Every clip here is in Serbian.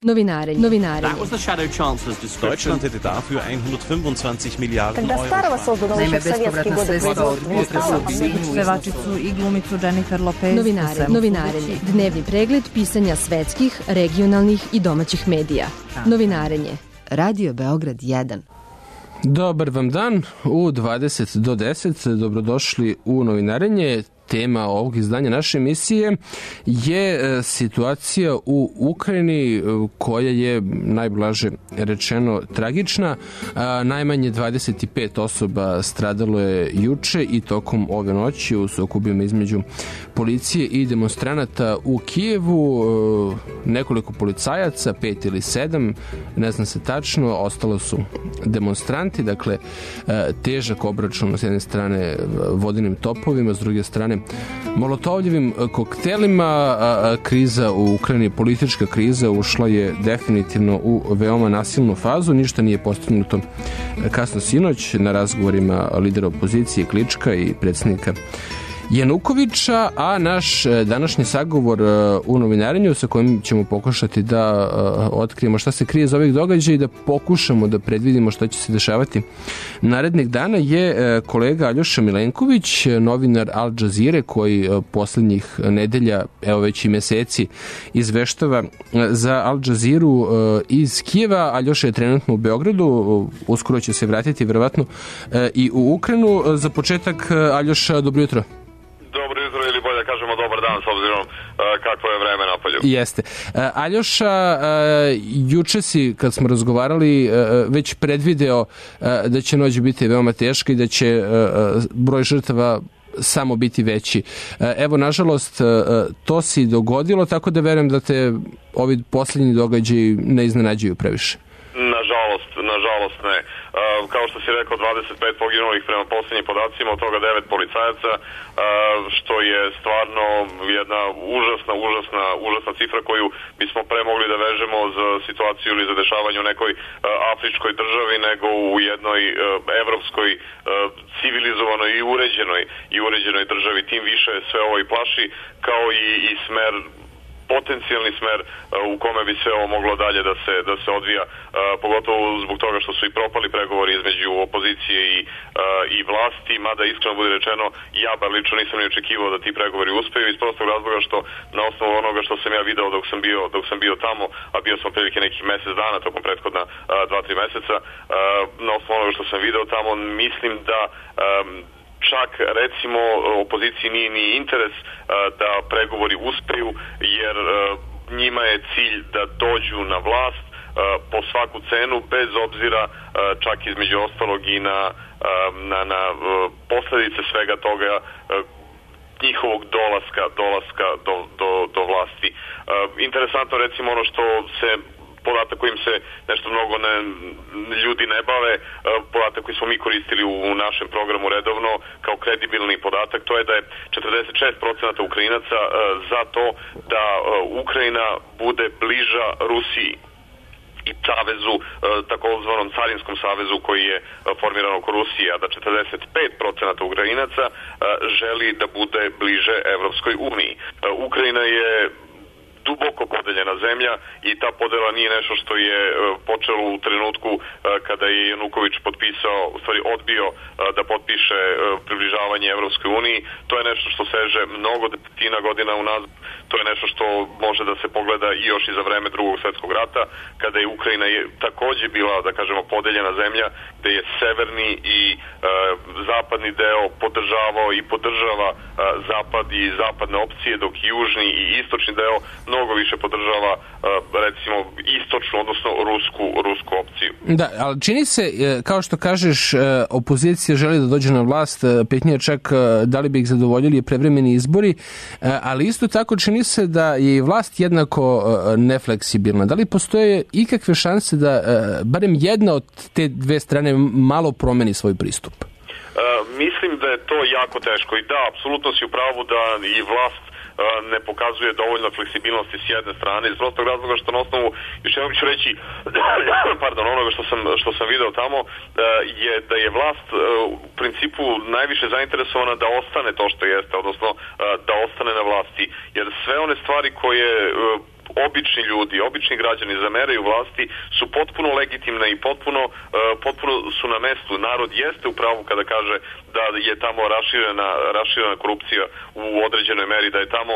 Novinarenje. That was the Shadow Chancellor's description. Deutschland hätte dafür 125 Miliarden Когда старого создано еще в советские годы pevačicu i glumicu Jennifer Lopez. Novinarenje. Dnevni pregled pisanja svetskih, regionalnih i domaćih medija. Novinarenje. Radio Beograd 1. Dobar vam dan, u 20 do 10, dobrodošli u Novinarenje. Tema ovog izdanja naše emisije je situacija u Ukrajini koja je najblaže rečeno tragična. Najmanje 25 osoba stradalo je juče i tokom ove noći u sukobima između policije i demonstranata u Kijevu. Nekoliko policajaca, 5 ili 7, ne znam se tačno, ostalo su demonstranti, dakle težak obračun s jedne strane vodenim topovima, s druge strane molotovljevim koktelima. Kriza u Ukrajini, politička kriza, ušla je definitivno u veoma nasilnu fazu. Ništa nije postignuto kasno sinoć na razgovorima lidera opozicije Klička i predsjednika Janukovića, a naš današnji sagovor u Novinarenju sa kojim ćemo pokušati da otkrijemo šta se krije za ovih događaja i da pokušamo da predvidimo šta će se dešavati narednih dana je kolega Aljoša Milenković, novinar Al Jazeere koji poslednjih nedelja, evo već i meseci, izveštava za Al Jazeeru iz Kijeva. Aljoša je trenutno u Beogradu, uskoro će se vratiti verovatno i u Ukrajinu. Za početak, Aljoša, dobro jutro. Dobro jutro, ili bolje kažemo dobar dan s obzirom kakvo je vreme napolju. Jeste. Aljoša, juče si, kad smo razgovarali, već predvideo da će noć biti veoma teška i da će broj žrtava samo biti veći. Evo, nažalost, to si dogodilo, tako da verujem da te ovi posljednji događaji ne iznenađuju previše. Nažalost ne. Kao što si rekao, 25 poginulih prema posljednjim podacima, od toga 9 policajaca, što je stvarno jedna užasna cifra koju bismo pre mogli da vežemo za situaciju ili za dešavanje u nekoj afričkoj državi nego u jednoj evropskoj civilizovanoj i uređenoj državi. Tim više sve ovo i plaši, kao i smer, potencijalni smer u kome bi sve ovo moglo dalje da se odvija, pogotovo zbog toga što su i propali pregovori između opozicije i vlasti, mada iskreno bude rečeno, ja bar lično nisam ni očekivao da ti pregovori uspeju iz prostog razloga što na osnovu onoga što sam ja video dok sam bio tamo, a bio sam prilike nekih mesec dana tokom prethodna 2-3 meseca, na osnovu onoga što sam video tamo, mislim da čak recimo opoziciji nije ni interes da pregovori uspeju, jer njima je cilj da dođu na vlast po svaku cenu, bez obzira čak između ostalog i na posledice svega toga njihovog dolaska do vlasti. Interesantno recimo ono što se podatak kojim se nešto mnogo ljudi ne bave, podatak koji smo mi koristili u našem programu redovno kao kredibilni podatak, to je da je 46% Ukrajinaca za to da Ukrajina bude bliža Rusiji i savezu, takozvanom carinskom savezu koji je formiran oko Rusije, a da 45% Ukrajinaca želi da bude bliže Evropskoj uniji. Ukrajina je duboko podeljena zemlja i ta podela nije nešto što je počelo u trenutku kada je Januković odbio da potpiše približavanje Evropskoj uniji. To je nešto što seže mnogo desetina godina unazad. To je nešto što može da se pogleda i još i za vreme Drugog svjetskog rata, kada je Ukrajina takođe bila, da kažemo, podeljena zemlja, gde je severni i zapadni deo podržavao i podržava zapad i zapadne opcije, dok južni i istočni deo mnogo više podržava recimo istočnu, odnosno rusku opciju. Da, ali čini se, kao što kažeš, opozicija želi da dođe na vlast, pitanje čak da li bi ih zadovoljili prevremeni izbori, ali isto tako čini se da je i vlast jednako nefleksibilna. Da li postoje ikakve šanse da barem jedna od te dve strane malo promeni svoj pristup? Mislim da je to jako teško i da, apsolutno si u pravu da i vlast ne pokazuje dovoljno fleksibilnosti s jedne strane, iz prostog razloga što na osnovu, još jednom ću reći, onoga što sam video tamo, je da je vlast u principu najviše zainteresovana da ostane to što jeste, odnosno da ostane na vlasti, jer sve one stvari koje obični ljudi, obični građani zameraju vlasti su potpuno legitimne i potpuno su na mestu. Narod jeste u pravu kada kaže da je tamo raširena korupcija u određenoj meri, da je tamo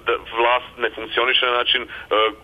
da vlast ne funkcioniše na način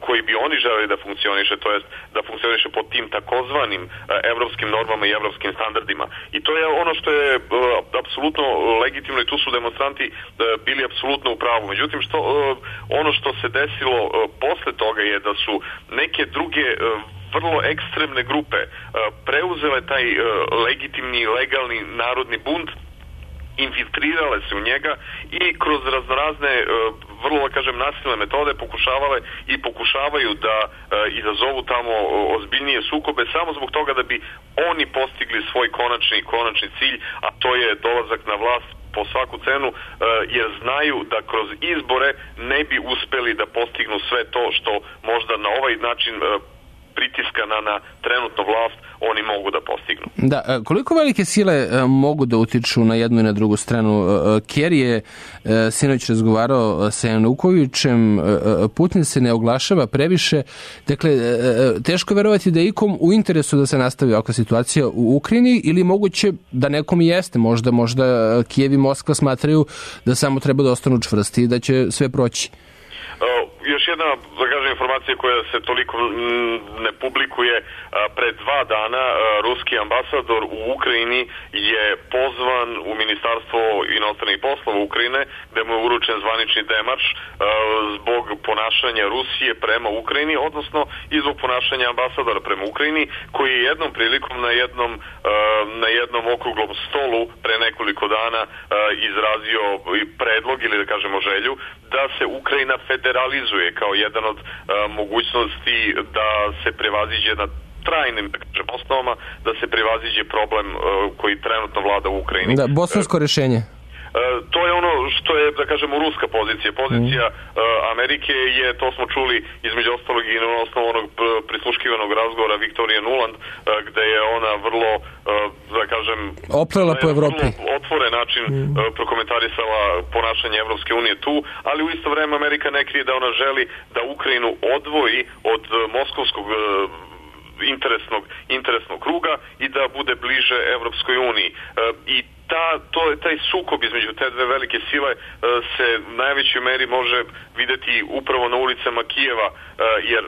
koji bi oni želeli da funkcioniše, to jest da funkcioniše pod tim takozvanim evropskim normama i evropskim standardima. I to je ono što je apsolutno legitimno i tu su demonstranti bili apsolutno u pravu. Međutim, ono što se desilo posle toga je da su neke druge vrlo ekstremne grupe preuzele taj legitimni, legalni narodni bunt, infiltrirale se u njega i kroz raznorazne, vrlo da kažem, nasilne metode pokušavaju da izazovu tamo ozbiljnije sukobe samo zbog toga da bi oni postigli svoj konačni cilj, a to je dolazak na vlast po svaku cenu, jer znaju da kroz izbore ne bi uspeli da postignu sve to što možda na ovaj način pritiska na trenutnu vlast oni mogu da postignu. Da, koliko velike sile mogu da utiču na jednu i na drugu stranu? Kerry je sinoć razgovarao sa Janukovićem, Putin se ne oglašava previše, dakle, teško verovati da je ikom u interesu da se nastavi ovakva situacija u Ukrajini ili moguće da nekom jeste, možda Kijev i Moskva smatraju da samo treba da ostanu čvrsti i da će sve proći. Još jedna, da kažem, informacija koja se toliko ne publikuje. Pre 2 dana ruski ambasador u Ukrajini je pozvan u Ministarstvo inostranih poslova Ukrajine, gde mu je uručen zvanični demarš zbog ponašanja Rusije prema Ukrajini, odnosno i zbog ponašanja ambasadora prema Ukrajini, koji je jednom prilikom na jednom okruglom stolu pre nekoliko dana izrazio predlog ili da kažemo želju da se Ukrajina federalizuje kao jedan od mogućnosti da se prevaziđe na trajnim osnovama, da se prevaziđe problem koji trenutno vlada u Ukrajini. Da, bosansko rešenje. To je ono što je, da kažemo, ruska pozicija. Pozicija Amerike je, to smo čuli između ostalog i na osnovu onog prisluškivanog razgovora Viktorije Nuland, gde je ona vrlo, da kažem, oplela po Evropi. Otvoren način prokomentarisala ponašanje Evropske unije tu, ali u isto vreme Amerika ne krije da ona želi da Ukrajinu odvoji od moskovskog interesnog kruga i da bude bliže Evropskoj uniji. I taj sukob između te dve velike sile se u najvećoj meri može videti upravo na ulicama Kijeva, jer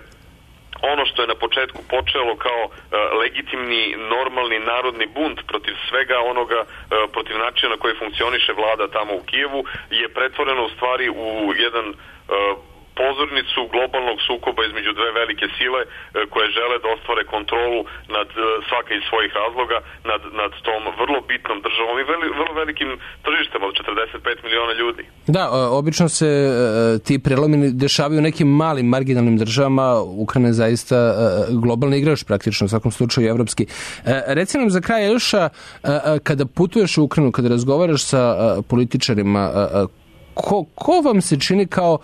ono što je na početku počelo kao legitimni, normalni narodni bunt protiv svega onoga, protiv načina na koji funkcioniše vlada tamo u Kijevu, je pretvoreno u stvari u jedan pozornicu globalnog sukoba između dve velike sile koje žele da ostvare kontrolu nad svaka iz svojih razloga nad tom vrlo bitnom državom i vrlo velikim tržištem od 45 miliona ljudi. Da, obično se ti prelomi dešavaju u nekim malim marginalnim državama. Ukrajina je zaista globalni igrač praktično, u svakom slučaju evropski. Reci nam za kraj, Elša, kada putuješ u Ukrajinu, kada razgovaraš sa političarima, ko vam se čini kao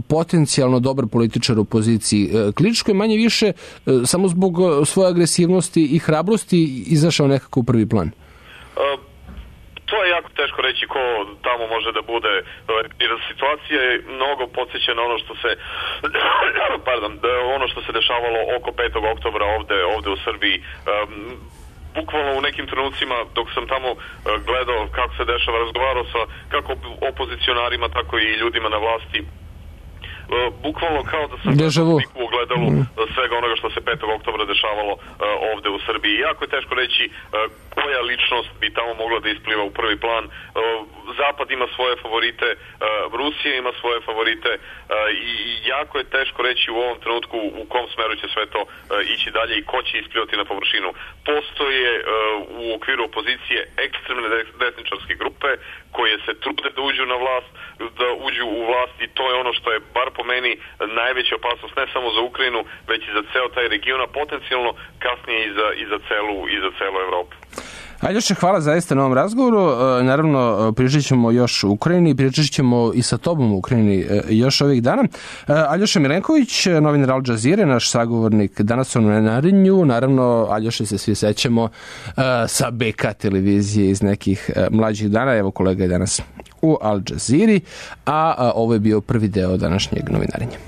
potencijalno dobar političar u opoziciji? Kličko je manje više samo zbog svoje agresivnosti i hrabrosti izašao nekako u prvi plan? To je jako teško reći ko tamo može da bude, jer situacija je mnogo podsjeća na ono što se ono što se dešavalo oko 5. oktobra ovde u Srbiji. Bukvalno u nekim trenucima dok sam tamo gledao kako se dešava, razgovarao sa kako opozicionarima, tako i ljudima na vlasti, bukvalno kao da sam u ogledalu svega onoga što se 5. oktobra dešavalo ovde u Srbiji. Jako je teško reći koja ličnost bi tamo mogla da ispliva u prvi plan. Zapad ima svoje favorite, Rusija ima svoje favorite i jako je teško reći u ovom trenutku u kom smeru će sve to ići dalje i ko će isplivati na površinu. Postoje u okviru opozicije ekstremne desničarske grupe koje se trude da uđu u vlast i to je ono što je bar po meni najveća opasnost ne samo za Ukrajinu, već i za ceo taj region, a potencijalno kasnije i za celu Evropu. Aljoša, hvala zaista na ovom razgovoru. Naravno, pričat ćemo još u Ukrajini, pričat ćemo i sa tobom u Ukrajini još ovih dana. Aljoša Milenković, novinar Al Jazeere, naš sagovornik danas u Novinarenju. Naravno, Aljoša se svi sećamo sa BK televizije iz nekih mlađih dana. Evo, kolega je danas u Al Jazeeri, a ovo je bio prvi deo današnjeg Novinarenja.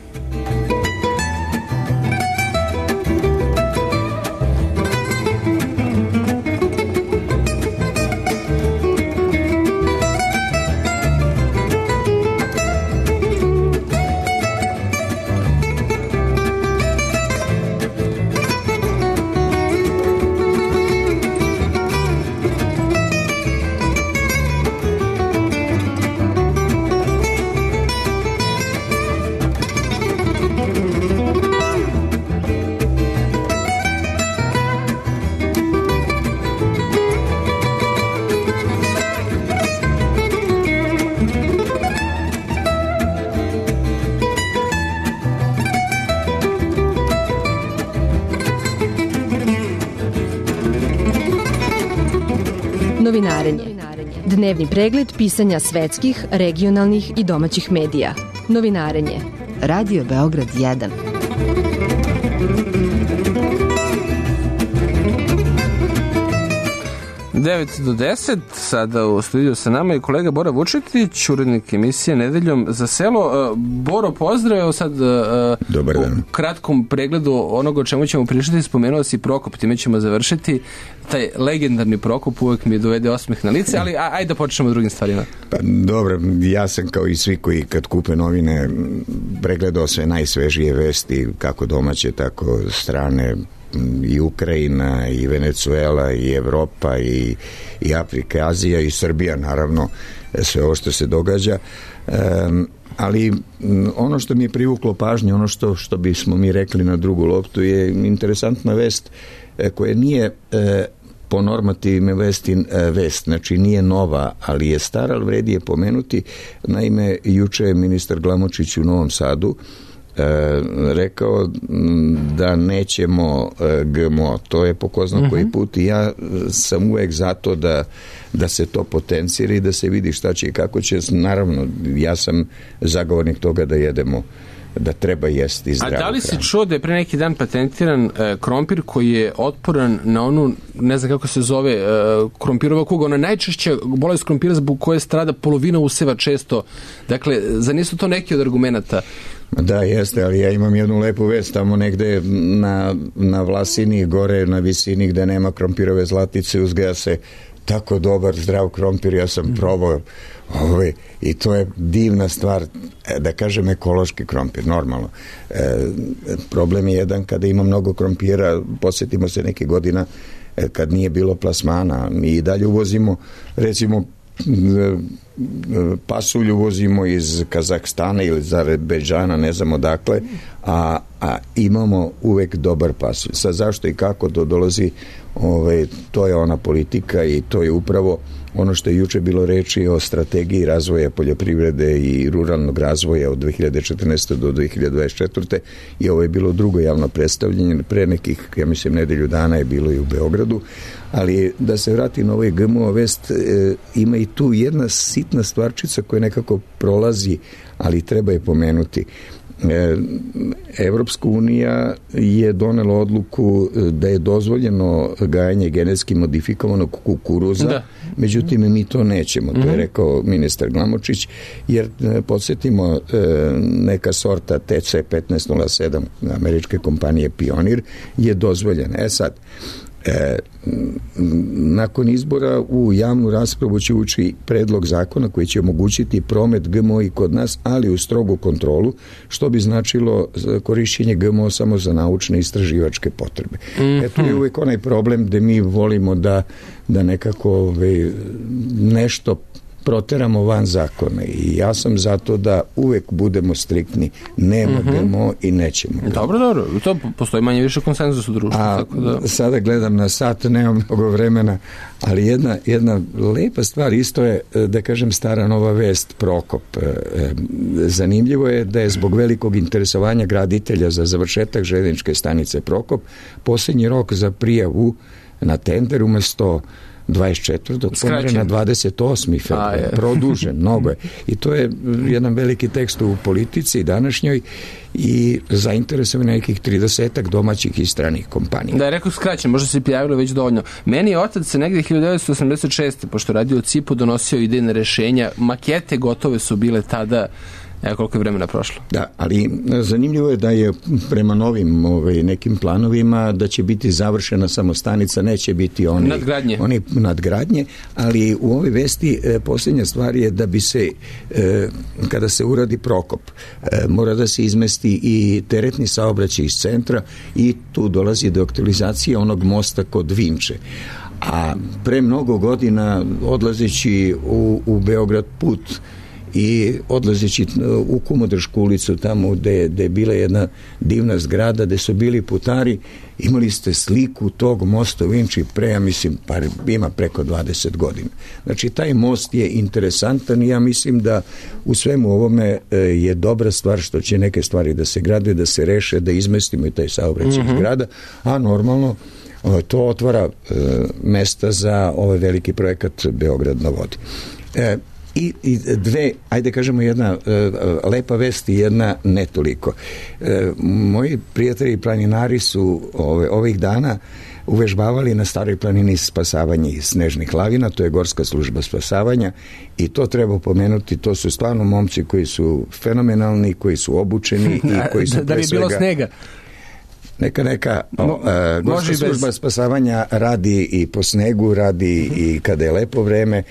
Novinarenje. Dnevni pregled pisanja svetskih, regionalnih i domaćih medija. Novinarenje. Radio Beograd 1. Devet do 10, sada u studiju sa nama je kolega Bora Vučetić, urednik emisije Nedeljom za selo. Boro, pozdrav, sad Dobar dan. U kratkom pregledu onoga o čemu ćemo pričati, spomenuo si Prokop, time ćemo završiti. Taj legendarni Prokop uvek mi dovede osmeh na lice, ali ajde da počnemo drugim stvarima. Pa dobro, ja sam kao i svi koji kad kupe novine pregledao sve najsvežije vesti, kako domaće, tako strane, i Ukrajina, i Venezuela, i Evropa, i Afrika, Azija, i Srbija, naravno, sve ovo što se događa. Ali ono što mi je privuklo pažnje, ono što bismo mi rekli na drugu loptu, je interesantna vest koja nije po normativima vest, znači nije nova, ali je stara, ali vredi je pomenuti. Naime, juče je ministar Glamočić u Novom Sadu rekao da nećemo GMO. To je po ko zna koji put i ja sam uvek zato da se to potencira i da se vidi šta će i kako će. Naravno, ja sam zagovornik toga da jedemo, da treba jesti zdravu hranu. A da li si čuo da je pre neki dan patentiran krompir koji je otporan na onu, ne znam kako se zove, krompirova kuga, ona najčešća bolest krompira zbog koje strada polovina useva često. Dakle, za nisu to neki od argumenata? Da, jeste, ali ja imam jednu lepu vest tamo negde na Vlasini, gore na visini gde nema krompirove zlatice, uzgaja se tako dobar zdrav krompir, ja sam probao i to je divna stvar, da kažem ekološki krompir, normalno. Problem je jedan kada ima mnogo krompira, posjetimo se neke godina kad nije bilo plasmana, mi i dalje uvozimo, recimo pasulj uvozimo iz Kazahstana ili iz Azerbejdžana, ne znam odakle, a imamo uvek dobar pasulj. Sad zašto i kako to dolazi, to je ona politika i to je upravo ono što je juče bilo reči o strategiji razvoja poljoprivrede i ruralnog razvoja od 2014. do 2024. I ovo je bilo drugo javno predstavljanje, pre nekih, ja mislim, nedelju dana je bilo i u Beogradu, ali da se vrati na ovaj GMO vest, ima i tu jedna sitna stvarčica koja nekako prolazi, ali treba je pomenuti. Evropska unija je donela odluku da je dozvoljeno gajanje genetski modifikovanog kukuruza, međutim mi to nećemo, to je rekao ministar Glamočić, jer podsjetimo, neka sorta TC 1507 američke kompanije Pionir je dozvoljena. Sad, nakon izbora u javnu raspravu će ući predlog zakona koji će omogućiti promet GMO i kod nas, ali u strogu kontrolu, što bi značilo korišćenje GMO samo za naučne i istraživačke potrebe. Tu je uvijek onaj problem gde mi volimo da nekako nešto proteramo van zakona i ja sam zato da uvek budemo striktni, nema GMO i nećemo. Dobro, to postoji manje više konsenzus u društvu. Tako da... Sada gledam na sat, nemam mnogo vremena, ali jedna lepa stvar isto je, da kažem, stara nova vest, Prokop. Zanimljivo je da je zbog velikog interesovanja graditelja za završetak željezničke stanice Prokop posljednji rok za prijavu na tender umesto 24. pomere na 28. februar. Produžen, mnogo je. I to je jedan veliki tekst u politici današnjoj i zainteresovan nekih 30 domaćih i stranih kompanija. Da, rekao skraćen, možda se prijavilo već dovoljno. Meni je otac se negdje 1986. pošto radio u CIP-u donosio idejne rešenja, makete gotove su bile tada. Evo koliko je vremena prošlo. Da, ali zanimljivo je da je prema novim nekim planovima da će biti završena samo stanica, neće biti oni nadgradnje, ali u ovoj vesti posljednja stvar je da bi se, kada se uradi Prokop, mora da se izmesti i teretni saobraćaj iz centra i tu dolazi do aktualizacije onog mosta kod Vinče. A pre mnogo godina odlazeći u Beograd put i odlazeći u Kumodršku ulicu, tamo gde je bila jedna divna zgrada, gde su bili putari, imali ste sliku tog mosta u Vinči ima preko 20 godina. Znači, taj most je interesantan i ja mislim da u svemu ovome je dobra stvar što će neke stvari da se grade, da se reše, da izmestimo i taj saobraćaj iz grada, a normalno To otvara mesta za ovaj veliki projekat Beograd na vodi. I dve, ajde kažemo, jedna lepa vest i jedna ne toliko. Moji prijatelji planinari su ovih dana uvežbavali na Staroj planini spasavanje iz snežnih lavina, to je Gorska služba spasavanja i to treba pomenuti, to su stvarno momci koji su fenomenalni, koji su obučeni i koji su da bi bilo snega. Neka. Gorska služba spasavanja radi i po snegu, radi i kada je lepo vreme,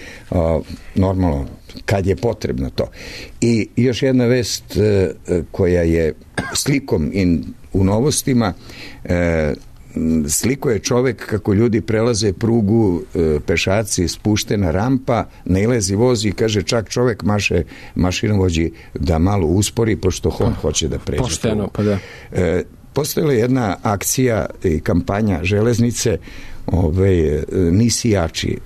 normalno, kad je potrebno to. I još jedna vest koja je slikom u novostima, sliko je čovek kako ljudi prelaze prugu, pešaci, spuštena rampa, nailazi voz i kaže čak čovek maše mašinovođi da malo uspori pošto on hoće da pređe. Pošteno, pa da. Postojala je jedna akcija i kampanja železnice, nisi jači,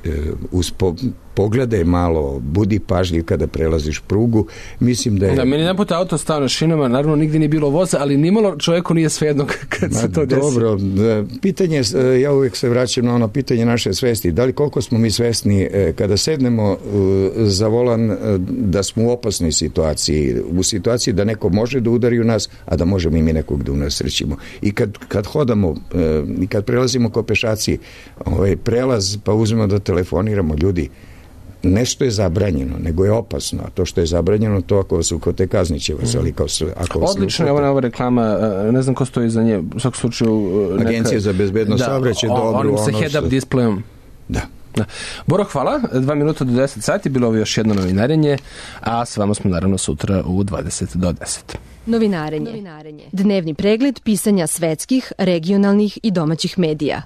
pogledaj malo, budi pažljiv kada prelaziš prugu. Mislim da je... Da, meni naput auto stao na šinama, naravno nigdje nije bilo voza, ali nimalo čovjeku nije svejedno kad se to desi. Dobro, pitanje, ja uvijek se vraćam na ono pitanje naše svesti. Da li koliko smo mi svesni kada sednemo za volan da smo u opasnoj situaciji, u situaciji da neko može da udari u nas, a da možemo i mi nekog da unesrećimo. I kad hodamo i kad prelazimo ko pešaci, prelaz, pa uzmemo da telefoniramo, ljudi, nešto je zabranjeno, nego je opasno. A to što je zabranjeno, to ako vas ukote kaznit vas, ali ako vas odlično je ova reklama, ne znam ko stoji za nje, u svakom slučaju Agencija za bezbednost saobraćaja, dobro. Onim sa head-up displejom. Da. Boro, hvala. 2 minuta do 10 sati, bilo ovo još jedno novinarenje, a s vama smo naravno sutra u 20 do 10. Novinarenje. Dnevni pregled pisanja svetskih, regionalnih i domaćih medija.